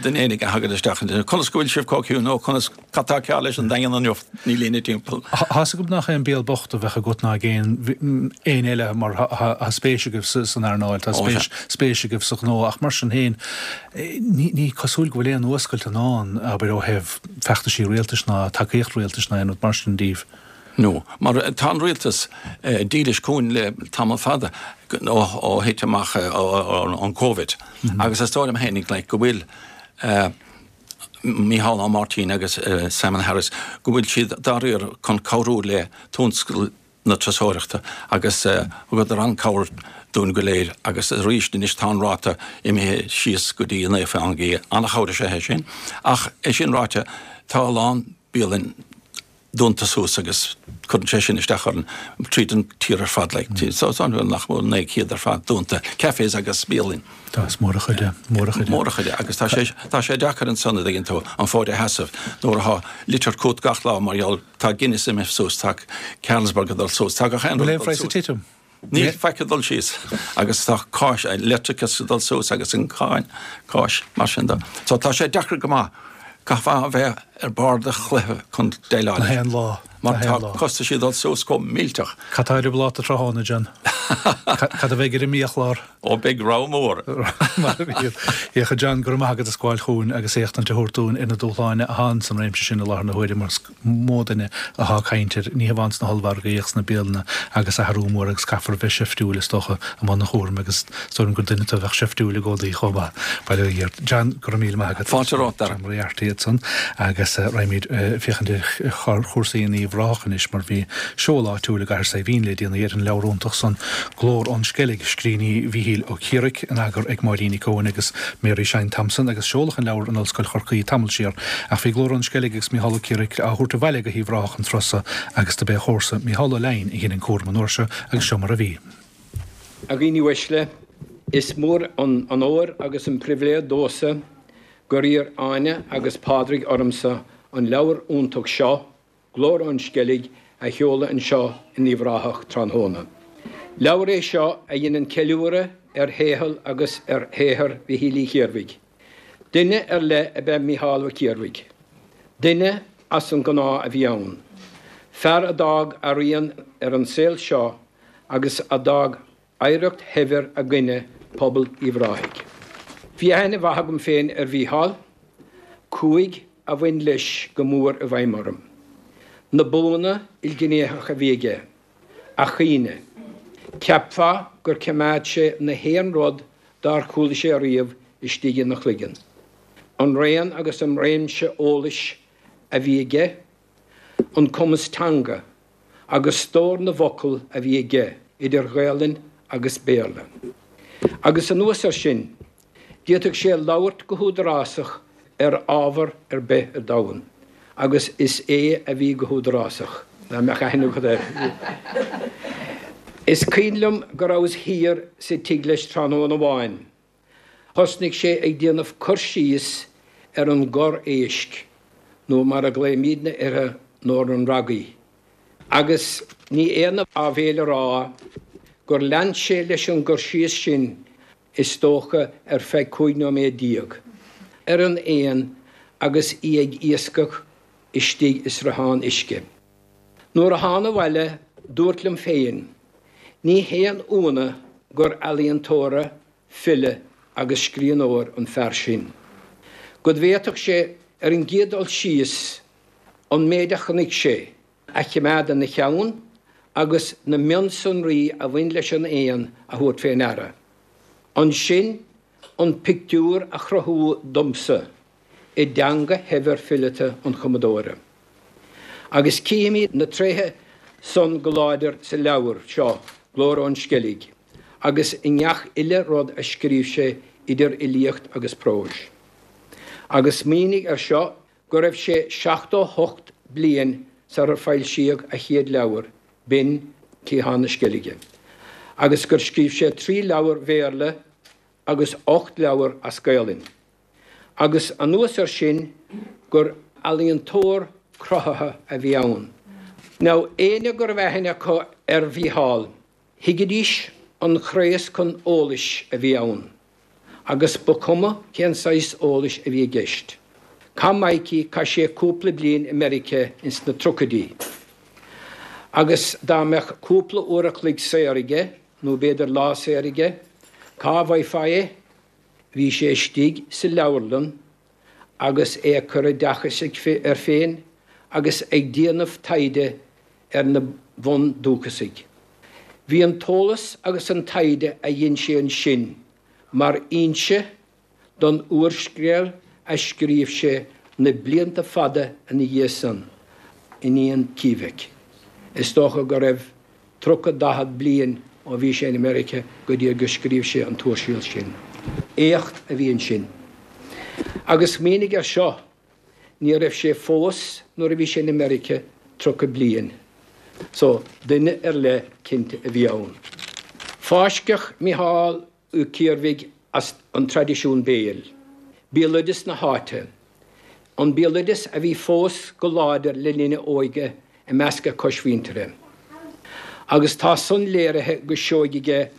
duine éigin a thagann isteach ansin, conas go bhfuil sibh chomh ciúin nó conas, cad tá cearr leis an Daingean inniu, níl éinne timpeall. Tá's agam nach é an béal bocht a bheadh agat ná ag aon éinne eile mar tá spéis agaibh san earnáil, tá spéis spéis agaibh sa ghnó ach mar sin féin ní ní cosúil go bhfuil aon fhuascailt i ndán, abair ó thaobh feachtaisí rialtais ná tacaíocht rialtais ná aon rud mar sin díobh. No, mar tá an rialtas dílis chugainn le tamall fada ó thit amach an Covid agus is dóigh liom fhéinig like go bhfuil Mícheál Ó Máirtín agus Simon Harris go bhfuil siad dáiríre chun cabhrú le tionscal na turasóireachta agus thugadar an-cabhair dúinn go léir agus arís anois tá an ráta imithe síos go dtí naoi faoin gcéad. An-chabhair is ea é sin. Ach é sin ráite tá a lán bialann dúnta suas agus cuireann sé sin isteach orainn tríd an tír ar fad like so so nach mór naoi céad ar fad dúnta, cafés agus bialann. Tá, is mór a chuid é, mór a chuid é. Mór a chuid é agus tá sé tá sé deacair ansan a dtuigeann tú an fód a sheasamh nuair atá litir chugat gach lá mar gheall tá Guinness imithe suas, tá Carlsberg ag dul suas, tá gach aon rud Bhfuil ag aon dul phraghas ag suas. titim? Níl faic ag dul síos agus tá cáis, leictreachas ag dul suas agus an cáin, cáis, mar sin de. So tá sé deacair go maith. Caithfeá a bheith ar barr do chluiche chun déileáil Na leis. haon lá. Mar Na tá haon lá. costaisí ag dul suas chomh millteach. Cad tá ar an bpláta tráthnóna, John? Cad a bheidh ar an mbiachlár? Ó beidh rogha mór. Mar a bhíonn. Féach, a John, go raibh maith agat as gabháil chugainn agus éachtaint a thabhairt dúinn ar na dúshláin atá ann san réimse sin i láthair na huaire mar is mó duine atá ag caint air, ní hamháin sna hollmhargaí ach sna bialanna agus athrú mór agus caithfear a bheith seiftiúil is dócha i mbun an chúraim agus is dóigh liom gur duine tú a bheadh seiftiúil i gcónaí chomh maith. Bail ó Dhia ort. John, go raibh míle maith agat. Fáilte romhat, Dara. John Moriarty ansan agus raghaimid féachaint ar chúrsaí in Uíbh Ráthach anois mar bhí seoladh áitiúil i gCathair Saidhbhín le déanaí ar an leabhar iontach san Glór ón Sceilg, scríní Mhíchíl Ó Ciarraigh, in eagar ag Máirín Nic Eoin agus Mary Shine Thompson agus seoladh an leabhar in Ollscoil Chorcaí tamall siar ach bhí Glór ón Sceilg agus Mícheál Ó Ciarraigh á thabhairt abhaile go hUíbh Ráthach an turas so agus do b'é a chomharsa Mícheál Ó Leidhin a dhein an cúram an uair seo agus seo mar a bhí. A dhaoine uaisle, is mór an onóir agus an pribhléid domhsa gur iarr Áine agus Pádraig ormsa an leabhar iontach seo, Glór ón Sceilg, a sheoladh anseo in Uíbh Ráthach tráthnóna. Leabhar é seo a dhéanann ceiliúradh ar shaol agus ar shaothar Mhichíl Uí Chiarmhaigh. Duine ar leith ab ea Mícheál Ó Ciarmhaigh. Duine as an ngnáth a bhí ann. Fear a d'fhág a rian ar an saol seo agus a d'fhág oidhreacht shaibhir againne, pobal Uíbh Ráthaigh. Bhí aithne mhaith agam féin ar Mhícheál, cúig a bhain leis go mór i bhfeidhm orm. Na buanna ilghnéitheacha a bhí aige, a chaoine. Cheapfá gur choimeád sé na haon rud dár chuala sé ariamh istigh ina chloigeann. An raon agus an réimse eolais a bhí aige, an cumas teanga agus stór na bhfocal a bhí aige idir Ghaelainn agus Béarla. Agus anuas air sin, d'fhéadfadh sé labhairt go húdarásach ar ábhar ar bith ar domhan, agus is é a bhí go húdarásach, dá mbeadh aithne agat air. Is cuimhin liom go rabhas thiar sa tigh leis tráthnóna amháin. Thosnaigh sé ag déanamh cur síos ar an gcorr éisc, nó mar a ghlaoimidne uirthi nó ar an ragaí. Agus ní aon áibhéil a rá gur lean sé leis an gcur síos sin, is dócha, ar feadh cúig nóiméad déag, ar an éan agus í ag iascach istigh i sruthán uisce. Nuair a thána abhaile, dúrt liom féin, ní haon ionadh gur ealaíontóir, file agus scríbhneoir an fear sin. Go bhféadfadh sé, ar an gcéad dul síos, an méid a chonaic sé a choimeád ina cheann agus na mionsonraí a bhain leis an éan a thabhairt fé ndeara. Ansin an pictiúr a chruthú domsa i dteanga shaibhir fileata an chumadóra. Agus címid na tréithe san go láidir sa leabhar seo, Glór ón Sceilg, agus i ngach uile rud a scríobh sé idir fhilíocht agus próis. Agus smaoinigh air seo go raibh sé seachtó hocht bliain sarar foilsíodh a chéad leabhar, b'in Cliathán na Sceilge, agus gur scríobh sé trí leabhar Bhéarla agus ocht leabhar as Gaolainn. Agus anuas air sin gur ealaíontóir cruthaithe a bhí ann. Now, éinne go raibh aithne acu ar Mhícheál, thuigidís an craos chun eolais a bhí ann, agus ba chuma cén saghas eolais a bhí i gceist. Chaith Mikey, chaith sé cúpla bliain i Meiriceá ins na tríochaidí. Agus dá mbeadh cúpla uair a chloig saor aige, nó b'fhéidir lá saor aige, cá bhfaighfeá é? Bhí sé istigh sa leabharlann agus é ag cur oideachais air féin agus ag déanamh taighde ar na bundúchasaigh. Bhí an t-eolas agus an taighde a dhein sé ansin mar fhoinse don úrscéal a scríobh sé na blianta fada ina dhiaidh san, Iníon Keevick. Is dócha go raibh tríocha, daichead bliain ó bhí sé in America go dtí gur scríobh sé an t-úrscéal sin. Éacht a bhí ansin. Agus smaoinigh air seo, ní raibh sé fós nuair a bhí sé in America tríocha bliain. So, duine ar leith cinnte a bhí ann. Fáisceadh Mícheál Ó Ciarmhaigh as an traidisiún béil, béaloideas na háite, an béaloideas a bhí fós go láidir le linn a óige i measc a choismhuintire. Agus tá san léirithe go seoigh aige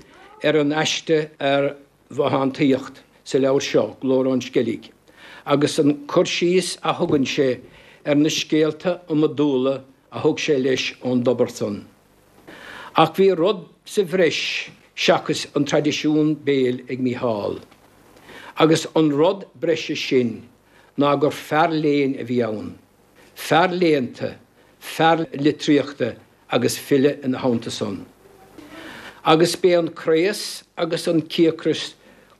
ar an aiste ar bhothántaíocht sa leabhar seo, Glór ón Sceilg, agus an cur síos a thugann sé ar na scéalta iomadúla a thug sé leis ón dtobar san. Ach bhí rud sa bhreis seachas an traidisiún béil ag Mícheál. Agus an rud breise sin ná gur fear léinn a bhí ann, fear léannta, fear litríochta agus file ina theannta san. Agus b'é an craos agus an cíocras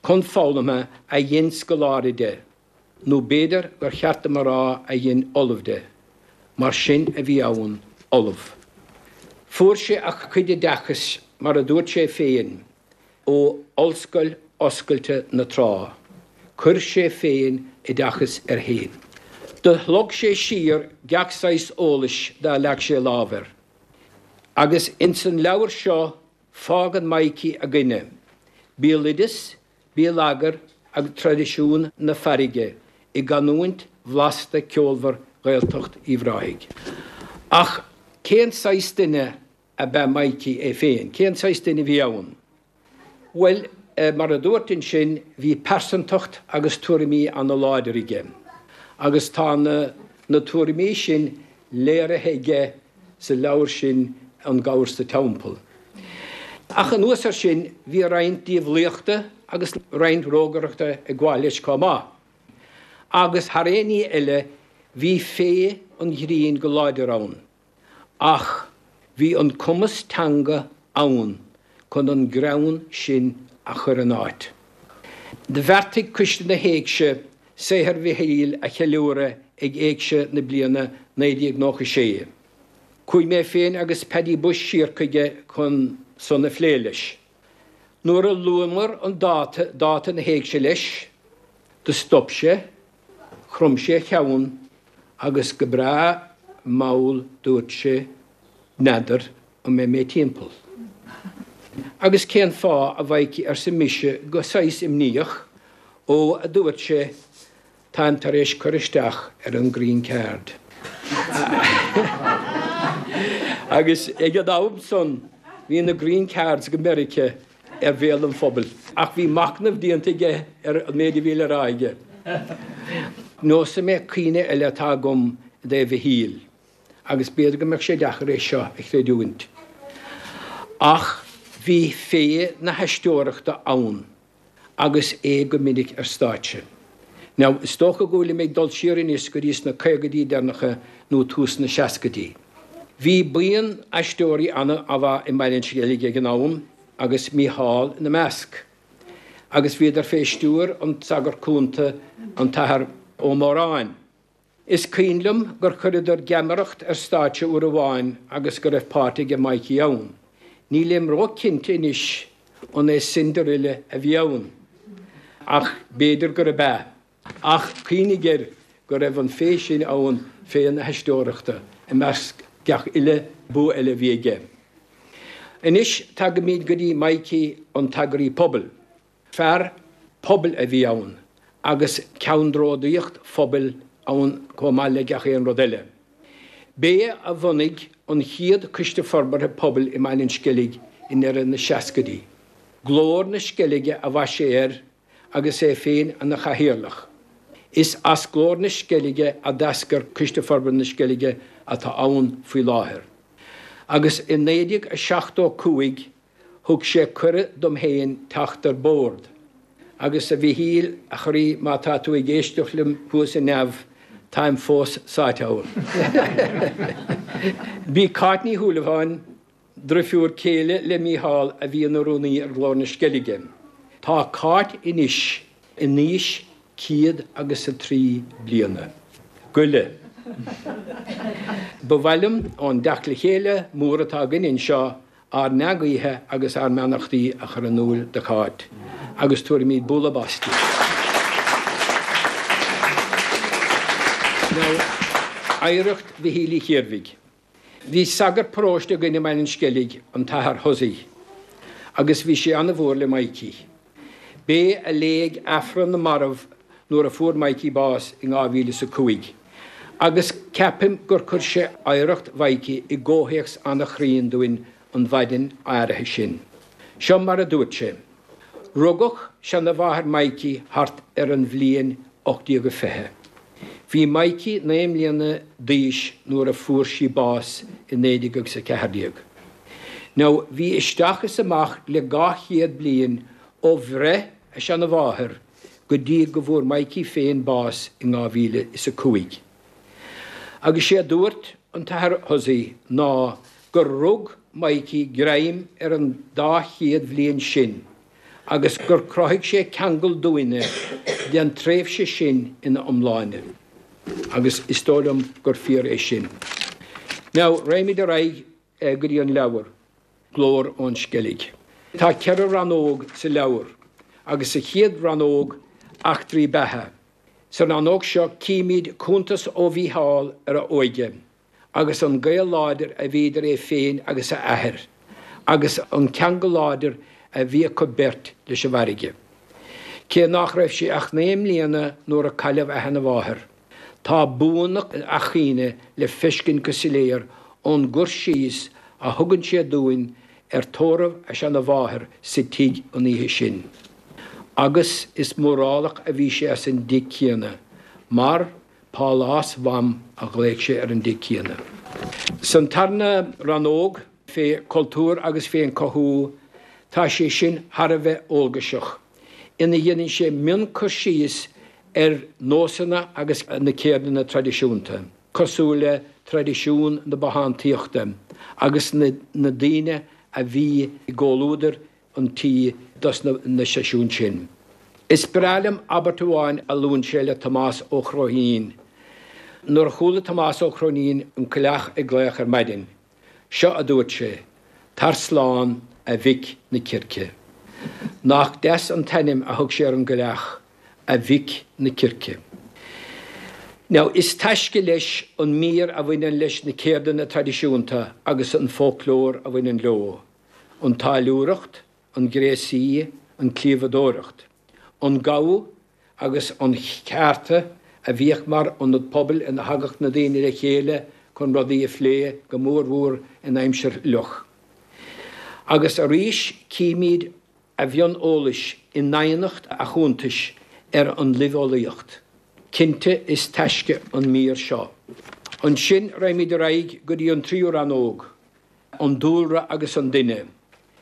chun foghlama a dhein scoláire de, nó b'fhéidir gur cheart dom a rá a dhein ollamh de, mar sin a bhí ann, ollamh. Fuair sé a chuid oideachais, mar a dúirt sé féin, ó Ollscoil Oscailte na Trá. Chuir sé féin oideachas air féin. Do shlog sé siar gach saghas eolais dá leag sé lámh air. Agus ins an leabhar seo fágann Mikey againne béaloideas, béalagar agus traidisiún na farraige i gcanúint bhlasta ceolmhar Ghaeltacht Uíbh Ráthaigh. Ach cén saghas duine ab ea Mikey é féin? Cén saghas duine a bhí ann? Bhuel, mar a dúirt ansin, bhí pearsantacht agus tuairimí ana-láidir aige, agus tá na na tuairimí sin léirithe aige sa leabhar sin An Gabhar sa Teampall. Ach anuas air sin, bhí roinnt diabhlaíochta agus roinnt rógaireachta ag gabháil leis chomh maith. Agus thar aon ní eile, bhí féith an ghrinn go láidir ann. Ach bhí an cumas teanga ann chun an greann sin a chur in áit. Do bheartaigh Coiste na hÉigse saothar Mhichíl a cheiliúradh ag Éigse na bliana naoi déag nócha a sé. Chuaigh mé féin agus Paddy Bushe siar chuige chun san a phlé leis. Nuair a luamar an dáta, dáta na hÉigse leis, do stop sé, chrom sé a cheann agus go breá mall dúirt sé, N'fheadar an mbeidh mé timpeall. Agus cén fáth, a Mhaidhcí, arsa mise go saghas imníoch, Ó, a dúirt sé, táim tar éis cur isteach ar an Green Card. Agus ag an am san bhí na Green Cards go Meiriceá ar bhéal an phobail. Ach bhí machnamh déanta aige ar an méid a bhí le rá aige. Neosfaidh mé cuimhne eile atá agam i dtaobh Mhichíl, agus b'fhéidir go mbeadh sé deacair é seo a chreidiúint, ach bhí féith na haisteoireachta ann agus é go minic ar stáitse. Now, is dócha go bhfuilim ag dul siar anois go dtí sna caogaidí deireanacha nó tús na seascaidí. Bhí buíon aisteoirí ana-mhaith i mBaile an Sceilg ag an am agus Mícheál ina measc. Agus bhíodar fé stiúir an sagart cúnta, an tAthair Ó Móráin. Is cuimhin liom gur chuireadar geamaireacht ar stáitse uair amháin agus go raibh páirt aige Mikey ann. Nílim ró-chinnte anois an é Cinderella a bhí ann, ach b'fhéidir gurb ea. Ach cuimhnigh air go raibh an féith sin ann, féith na haisteoireachta, i measc gach uile bua eile a bhí aige. Anois tagaimid go dtí Mikey an t-eagraí pobail. Fear pobail a bhí ann agus ceannródaíocht phobail ann chomh maith le gach aon rud eile. B'é a bhunaigh an chéad Coiste Forbartha Pobail i mBaile an Sceilg i ndeireadh na seascaidí. Glór na Sceilge a bhaist sé air agus é féin ina chathaoirleach. Is as Glór na Sceilge a d'eascair Coiste Forbartha na Sceilge atá ann faoi láthair. Agus i naoi déag a seachtó cúig thug sé cuireadh dom féin teacht ar bord. Agus a Mhichíl, a chroí, má tá tú ag éisteacht liom thuas i neamh, táim fós sáite ann. B'í Cáit Ní Shúilleabháin, drifiúr céile le Mícheál a bhí ina rúnaí ar Ghlór na Sceilge. Tá Cáit anois in aois céad agus a trí bliana. Goile. Ba mhaith liom ón dteacht le chéile mór atá againn anseo ár ndea-ghuíthe agus ár mbeannachtaí a chur in iúl do Cháit agus tabharfaimid bualadh bos di. Now, oidhreacht Mhichíl Uí Chiarbhaigh. Bhí sagart paróiste againn i mBaile an Sceilg, an tAthair Hussey, agus bhí sé an-mhór le Mikey. B'é a léigh Aifreann na Marbh nuair a fuair Mikey bás in dhá mhíle is a cúig, agus ceapaim gur chuir sé oidhreacht Mhikey i gcomhthéacs an-chruinn dúinn an mhaidin áirithe sin. Seo mar a dúirt sé, Rugadh seanamháthair Mikey thart ar an bhliain ocht déag a fiche. Bhí Mikey naoi mbliana d'aois nuair a fuair sí bás i naoi déag agus a ceathair déag. Now, bhí isteach is amach le dhá chéad bliain ó bhreith a seanamháthair go dtí go bhfuair Mikey féin bás in dhá mhíle is a cúig. Agus sé a dúirt an tAthair Hussey ná gur rug Mikey greim ar an dá chéad bhliain sin agus gur chruthaigh sé ceangal dúinne den tréimhse sin ina iomláine. Agus is dóigh liom gur fíor é sin. Now, raghaimid ar aghaidh go dtí an leabhar, Glór ón Sceilg. Tá ceithre rannóg sa leabhar, agus sa chéad rannóg, Eachtraí Beatha. Sa rannóg seo címid cuntas ó Mhícheál ar a óige agus an gaol láidir a bhí idir é féin agus a athair agus an ceangal láidir a bhí acu beirt leis an bhfarraige. Cé nach raibh sé ach naoi mbliana nuair a cailleadh a sheanamháthair, tá buanna a chuimhne le feiscint go soiléir ón gcur síos a thugann sé dúinn ar tórramh a seanamháthar sa tigh an oíche sin. Agus is mórálach a bhí sé as an dtigh céanna, mar Pálás Mham a ghlaoigh sé ar an dtigh céanna. San tarna rannóg, fé chultúr agus fén chothú, tá sé sin thar a bheith eolgaiseach, ina dhéanann sé mion-chur síos ar nósanna agus na ceirdeanna traidisiúnta, cosúil le traidisiún na bothántaíochta agus na daoine a bhí i gcomhluadar an tí dos na seisiúin sin. Is breá liom abairt amháin a luann sé le Tomás Ó Cróinín. Nuair a chuala Tomás Ó Cróinín an coileach ag glaoch ar maidin, seo a dúirt sé, Tar slán, a mhic na circe. Nach deas an t-ainm a thug sé ar an gcoileach, a mhic na circe. Now, is taisce leis an mír a bhaineann leis na ceirdeanna traidisiúnta agus an foclóir a bhaineann leo, an táilliúireacht, an gréasaí, an cliabhadóireacht, an gabha agus an cheárta a bhíodh mar ionad pobail ina thagadh na daoine le chéile chun rudaí a phlé, go mórmhór in aimsir fhliuch. Agus arís címid a mhion eolais i ndoimhneacht a chuntais ar an luibheolaíocht. Cinnte is taisce an mír seo. Ansin raghaimid ar aghaidh go dtí an tríú rannóg, an dúlra agus an duine.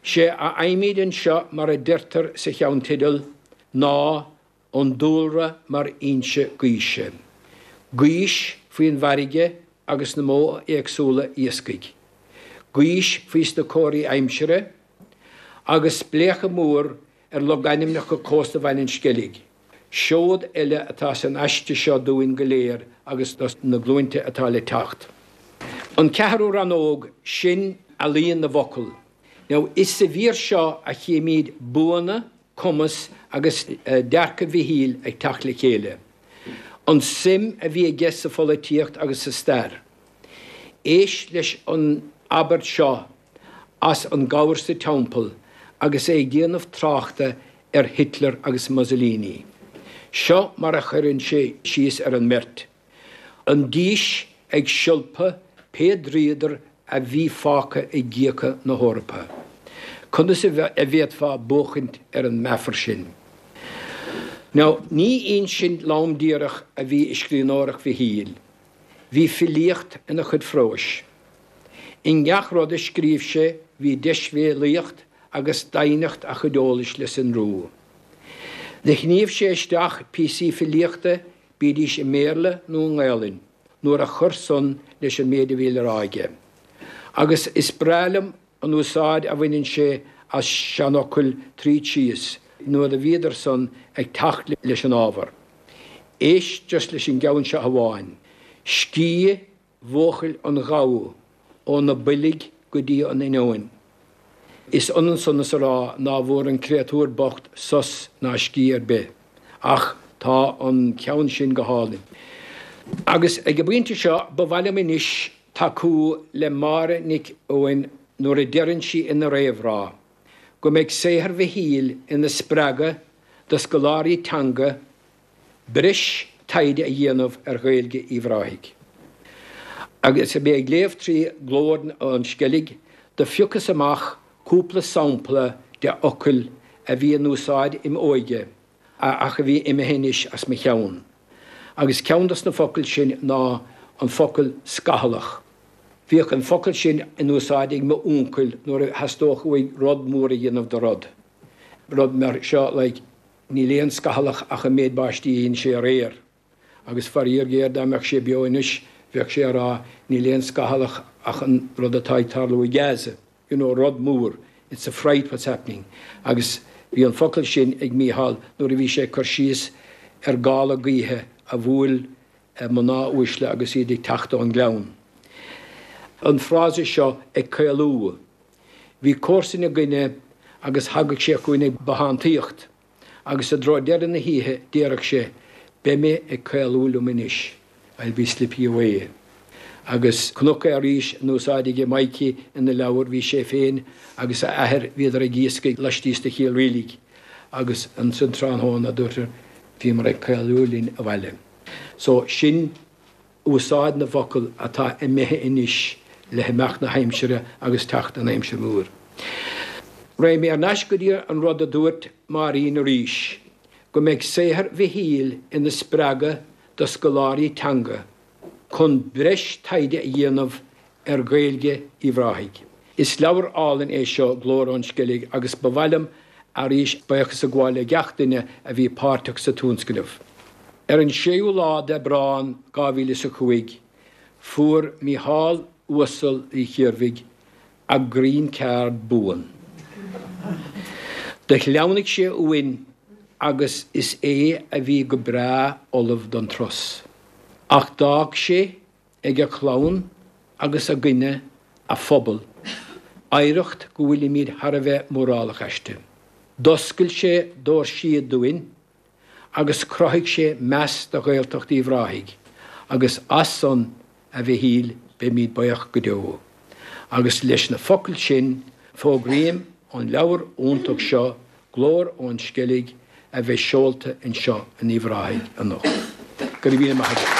Sé a fhaighimid anseo mar a deirtear sa cheannteideal ná an dúlra mar fhoinse gaoise. Gaois faoin bhfarraige agus na modha éagsúla iascaigh. Gaois faoi sna comharthaí aimsire agus spléachadh mór ar logainmneacha cósta Bhaile an Sceilg. Seod eile atá san aiste seo dúinn go léir agus dos na glúinte atá le teacht. An ceathrú rannóg, sin ealaíon na bhfocal. Now, is sa mhír seo a chímid buanna, cumas agus dearcadh Mhichíl ag teacht le chéile. An suim a bhí aige sa pholaitíocht agus sa stair. Éist leis an abairt seo as An Gabhar sa Teampall agus é ag déanamh tráchta ar Hitler agus Mussolini. Seo mar a chuireann sé síos ar an mbeirt. An dís ag siolpadh pé dríodar a bhí fágtha i gcíocha na hEorpa. Conas a bhféadfá buachaint ar an meafar sin? Now, ní insint lom díreach a bhí i scríbhneoireacht Mhichíl. Bhí filíocht ina chuid phróis. I ngach rud a scríobh sé bhí deisbhéalaíocht agus doimhneacht a chuid eolais le sonrú. Do shníomh sé isteach píosaí filíochta, bídís i mBéarla nó i nGaelainn, nuair a chuir san leis an méid a bhí le rá aige. Agus is breá liom an úsáid a bhaineann sé as seanfhocail tríd síos nuair a bhíodar san ag teacht leis an ábhar. Éist just leis an gceann seo amháin, Scíth bhuachaill an ghabha ó na boilg go dtí an inneoin. Is ionann san is a rá ná bhfuair an créatúr bocht sos ná scíth ar bith. Ach tá an ceann sin go hálainn. Agus ag an bpointe seo ba mhaith liom anois tacú le Máire Nic Eoin nuair a deireann sí ina réamhrá go mbeidh saothar Mhichíl ina spreagadh do scoláirí teanga breis taighde a dhéanamh ar Ghaeilge Uíbh Ráthaigh. Agus mé ag léamh trí Glór ón Sceilg, do phiocas amach cúpla sampla de fhocail a bhí in úsáid im óige ach a bhí imithe anois as mo cheann. Agus ceann dos na focail sin ná an focal scathlach. Bhíodh an focal sin in úsáid ag m'úncail nuair a theastódh uaidh rud mór a dhéanamh de rud. Rud mar seo like, níl aon scathlach ach an méid báistí a dhein sé aréir. Agus faraor géar dá mbeadh sé beo anois bheadh sé ag rá níl aon scathlach ach an rud atá ag tarlú i Gaza. You know, rud mór. It's a fright what's happening. Agus bhí an focal sin ag Mícheál nuair a bhí sé ag cur síos ar ghála gaoithe a bhuail mná uaisle agus iad ag teacht ón ngleann. An frása seo ag caolú. Bhí comharsan againne agus thagadh sé chugainn ag bothántaíocht agus i dtreo deireadh na hoíche déarfadh sé, Beidh mé ag caolú liom anois, I'll be slipping away. Agus cnoc arís in úsáid aige Mikey ina leabhar, bhí sé féin agus a athair, bhíodar ag iascaigh laistíos de Chill Rialaig agus ansan tráthnóna dúirt bhíomar ag caolú linn abhaile. So sin úsáid na bhfocal atá imithe anois le himeacht na haimsire agus teacht an aimsir mhór. Raghaidh mé ar ais go dtí an rud a dúirt Máirín arís, go mbeidh saothar Mhichíl ina spreagadh do scoláirí teanga chun breis taighde a dhéanamh ar Ghaeilge Uíbh Ráthaigh. Is leabhar álainn é seo, Glór ón Sceilg, agus ba mhaith liom arís buíochas a ghabháil le gach duine a bhí páirteach sa tionscnamh. Ar an séú lá d'Aibreán dhá mhíle is a cúig, fuair Mícheál Uasal Uí Chiarbhaigh a green card buan. Do shleamhnaigh sé uainn agus is é a bhí go breá ullamh don turas. Ach d'fhág sé ag a chlann agus againne, a phobal, oidhreacht go bhfuilimid thar a bheith mórálach aisti. D'oscail sé doirsí dúinn agus chruthaigh sé meas do Ghaeltacht Uíbh Ráthaigh agus as san, a Mhichíl, beimid buíoch go deo. Agus leis na focail sin, fógraím an leabhar iontach seo, Glór ón Sceilg, a bheidh seolta anseo in Uíbh Ráthaigh anocht. Go raibh míle maith agat.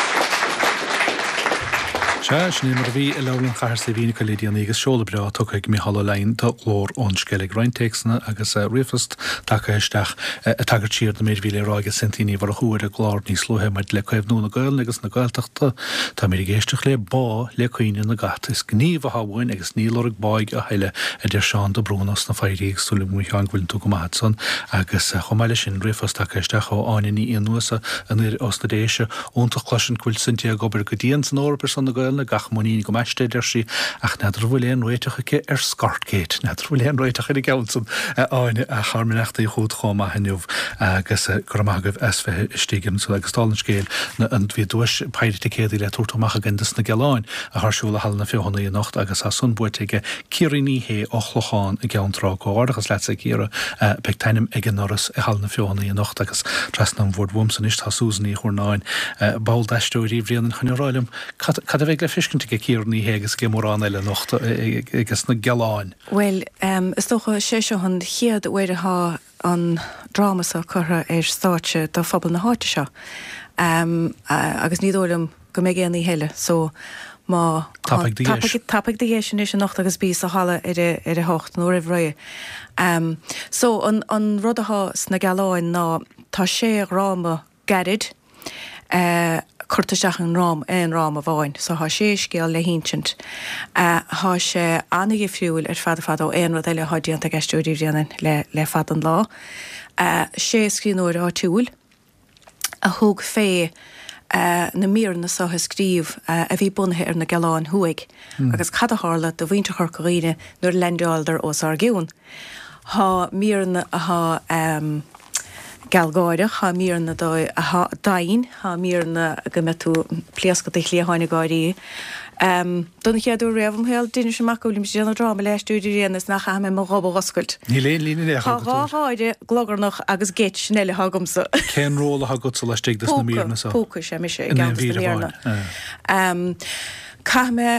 Sea, sin é mar a bhí i Leabharlann Chathair Saidhbhín le déanaí agus seoladh breá tugtha ag Mícheál Ó Leidhin do Ghlór ón Sceilg. Roinnt téacsanna agus ríomhphost tagtha isteach ag tagairt siar don méid a bhí le rá ag Cynthia Ní Mhurchú ar an gclár níos luaithe maidir le caomhnú na Gaelainne agus na Gaeltachta. Táimid ag éisteacht le bá le caoineadh na gcat. Is gníomh atá uainn agus ní lorg báidh a thuilleadh, a deir Seán de Brún as na Foidhrí agus súil agam a Sheáin go bhfuileann tú go maith ansan. Agus chomh maith leis sin, ríomhphost tagtha isteach ó Áine Ní Fhionnghusa anoir os na Déise. Iontach cloisint go bhfuil Cynthia ag obair go dian san Eoraip ar son na Gaelainne, gach muinín agam aisti, a deir sí, ach n'fheadar an bhfuil aon réiteach aici ar Scottgate. N'fheadar an bhfuil aon réiteach ar an gceann san, a Áine, ach ár mbeannachtaí chugat chomh maith inniu agus go raibh maith agaibh as bheith istigh anso. Agus dála an scéil, bhí duais péire ticéadaí le tabhairt amach againn dos na Gealáin atá ar siúl i Halla na Feothanaí anocht agus tá san buaite aige Ciara Ní Shé ó Chlochán i gCeann Trá. Comhghairdeachas leatsa a Chiara. Beidh t'ainm ag an ndoras i Halla na Feothanaí anocht agus trasna an bhoird uaimse anois tá Susan Ní Churnáin, ball d'Aisteoirí Bhréanainn chun a rá liom cad cad a bheidh le feiscint aige Ciara Ní Shé agus aige mórán eile anocht aige sna Gealáin. Bhuel, is dócha sé seo an chéad uair atá an dráma seo curtha ar stáitse do phobal na háite seo. Agus ní dóigh liom go mbeidh aon oíche eile so má Tapaigh do dheis. Tapaigh do dheis anois anocht agus bí sa halla ar a ar a hocht nó roimh ré. Um, so an, an rud atá sna Gealáin ná tá sé dhráma gairid uh, curtha isteach in aon dráma amháin, so tá sé scéal le hinsint. Uh, tá sé an-difriúil ar fad fad ó aon rud eile atá déanta ag Aisteoirí Bhréanainn le, le fada an lá. Uh, sé scríbhneoir áitiúil a thug fé uh, na míreanna seo a scríobh uh, a bhí bunaithe ar na Gealáin Thuaidh mm. agus cad a tharla do mhuintir Chorca Dhuibhne nuair a leaindeáladar os ár gcionn. Tá míreanna atá um, gealgháireach, tá míreanna atá domhain, tá míreanna go mbeidh tú pléascadh do chliatháin ag gáirí. Um, don chéad uair riamh im shaol d'inis amach go bhfuilim ag déanamh dráma le Aisteoirí Bhréanainn is nach gcaithfidh mé mo ghob a oscailt. Níl aon líne in aon Tá chor dhá agat. gháire glogarnach agus geit sin eile atá agamsa. Cén ról atá agatsa laistigh de na míreanna seo? Púca sé mise In aon i gceann mhír na míreanna. amháin. Um, Caithfidh mé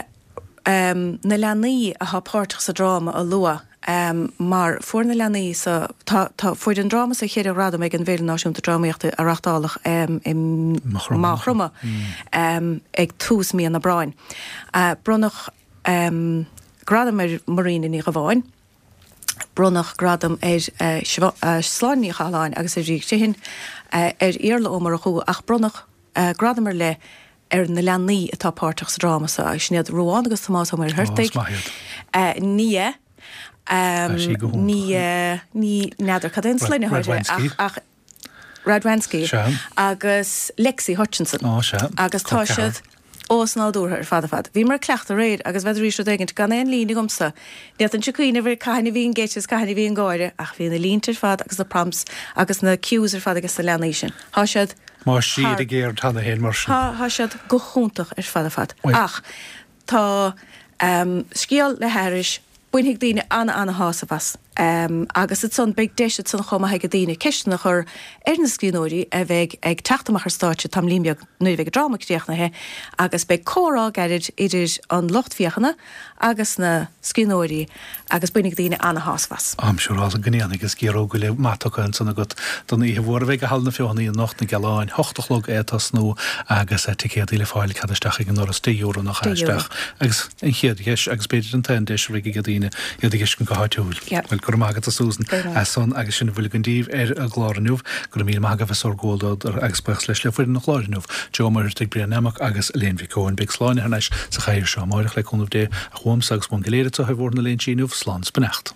um, na leanaí atá páirteach sa dráma a lua um, mar fuair na leanaí sa tá, tá fuair an dráma seo ceithre ghradam ag an bhFéile Náisiúnta Drámaíochta a reáchtáladh um, i Maigh Chromtha um, ag tús mí an Aibreáin. Uh, bronnadh um, gradam ar Marina Ní Ghabháin, bronnadh gradam ar uh, uh, Sláine Ní Chathalláin agus ar Ríg Tihin uh, ar Iarla Ó Murchú ach bronnadh uh, gradam ar leith ar na leanaí atá páirteach sa dráma seo agus sin iad Ruán agus Tomás Ó Muircheartaigh. Ó, is maith iad. Uh, Nia um, Tá sí go hiontach. ní uh, ní n'fheadar cad é an sloinne Radwanski. ach, ach Radwanski Sea. agus Lexi Hutchinson. Ó, sea. Agus tá Col ceathrar. siad ósnádúrtha ar fad fad. Bhíomar ag cleachtadh aréir agus bheith rís éigint gan aon líne agamsa. Ní an cuioine bhar caithine bhí an géit caithine bhí an gáire ach bhí na línte ar fad agus na prompts agus na cues ar fad agus na leanaí sin. Tá siad Má siad ag géir tanna héin mar sin. Tá tá siad go hiontach ar fad fad. Oi. Ach tá um, scéal le haithris bainfidh daoine an-an-shásamh as. Um, agus ansan beidh deis ansan chomh maith ag daoine ceisteanna a chur ar na scríbhneoirí a bheidh ag teacht amach ar stáitse tamaillín beag nuair a bheidh an dráma críochnaithe agus beidh comhrá gairid idir an lucht féachana agus na scríbhneoirí agus bainfidh daoine an-shásamh as. Am siúrála gnéan agus géaró go le matocha an san agat don oíche mhór a bheidh i Halla na Feothanaí anocht na Gealáin, hocht a chlog é tosnú agus ticéadaí le fáil cead isteach ag an ndoras deich euro nach Deich euro. isteach agus an chéad dheis agus b'fhéidir an t-aon deis a bheidh ag daoine iad a fheiscint go háitiúil. Yeah. Well go raibh maith agat a Susan Go raibh. as san agus sin a bhfuil againn daoibh ar an gclár inniu, go raibh míle maith agaibh as bhur gcomhluadar agus buíochas leis le foireann an chláir inniu. Joe Muircheartaigh Brian Nammock agus Elaine Mhic Eoin beidh Sláine thar n-ais sa chathaoir seo amárach le cúnamh Dé ach uaimse agus ón go léir atá ar bhord na léinsí inniu slán is beannacht.